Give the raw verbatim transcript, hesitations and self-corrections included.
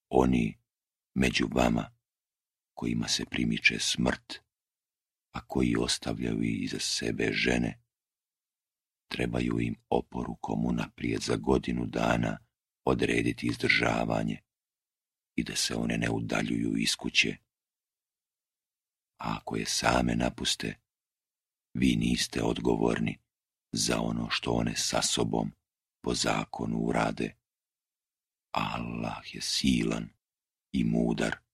Oni među vama kojima se primiče smrt, a koji ostavljaju iza sebe žene, trebaju im oporukom unaprijed za godinu dana odrediti izdržavanje i da se one ne udaljuju iz kuće. A ako je same napuste, vi niste odgovorni za ono što one sa sobom po zakonu urade. Allah je silan i mudar.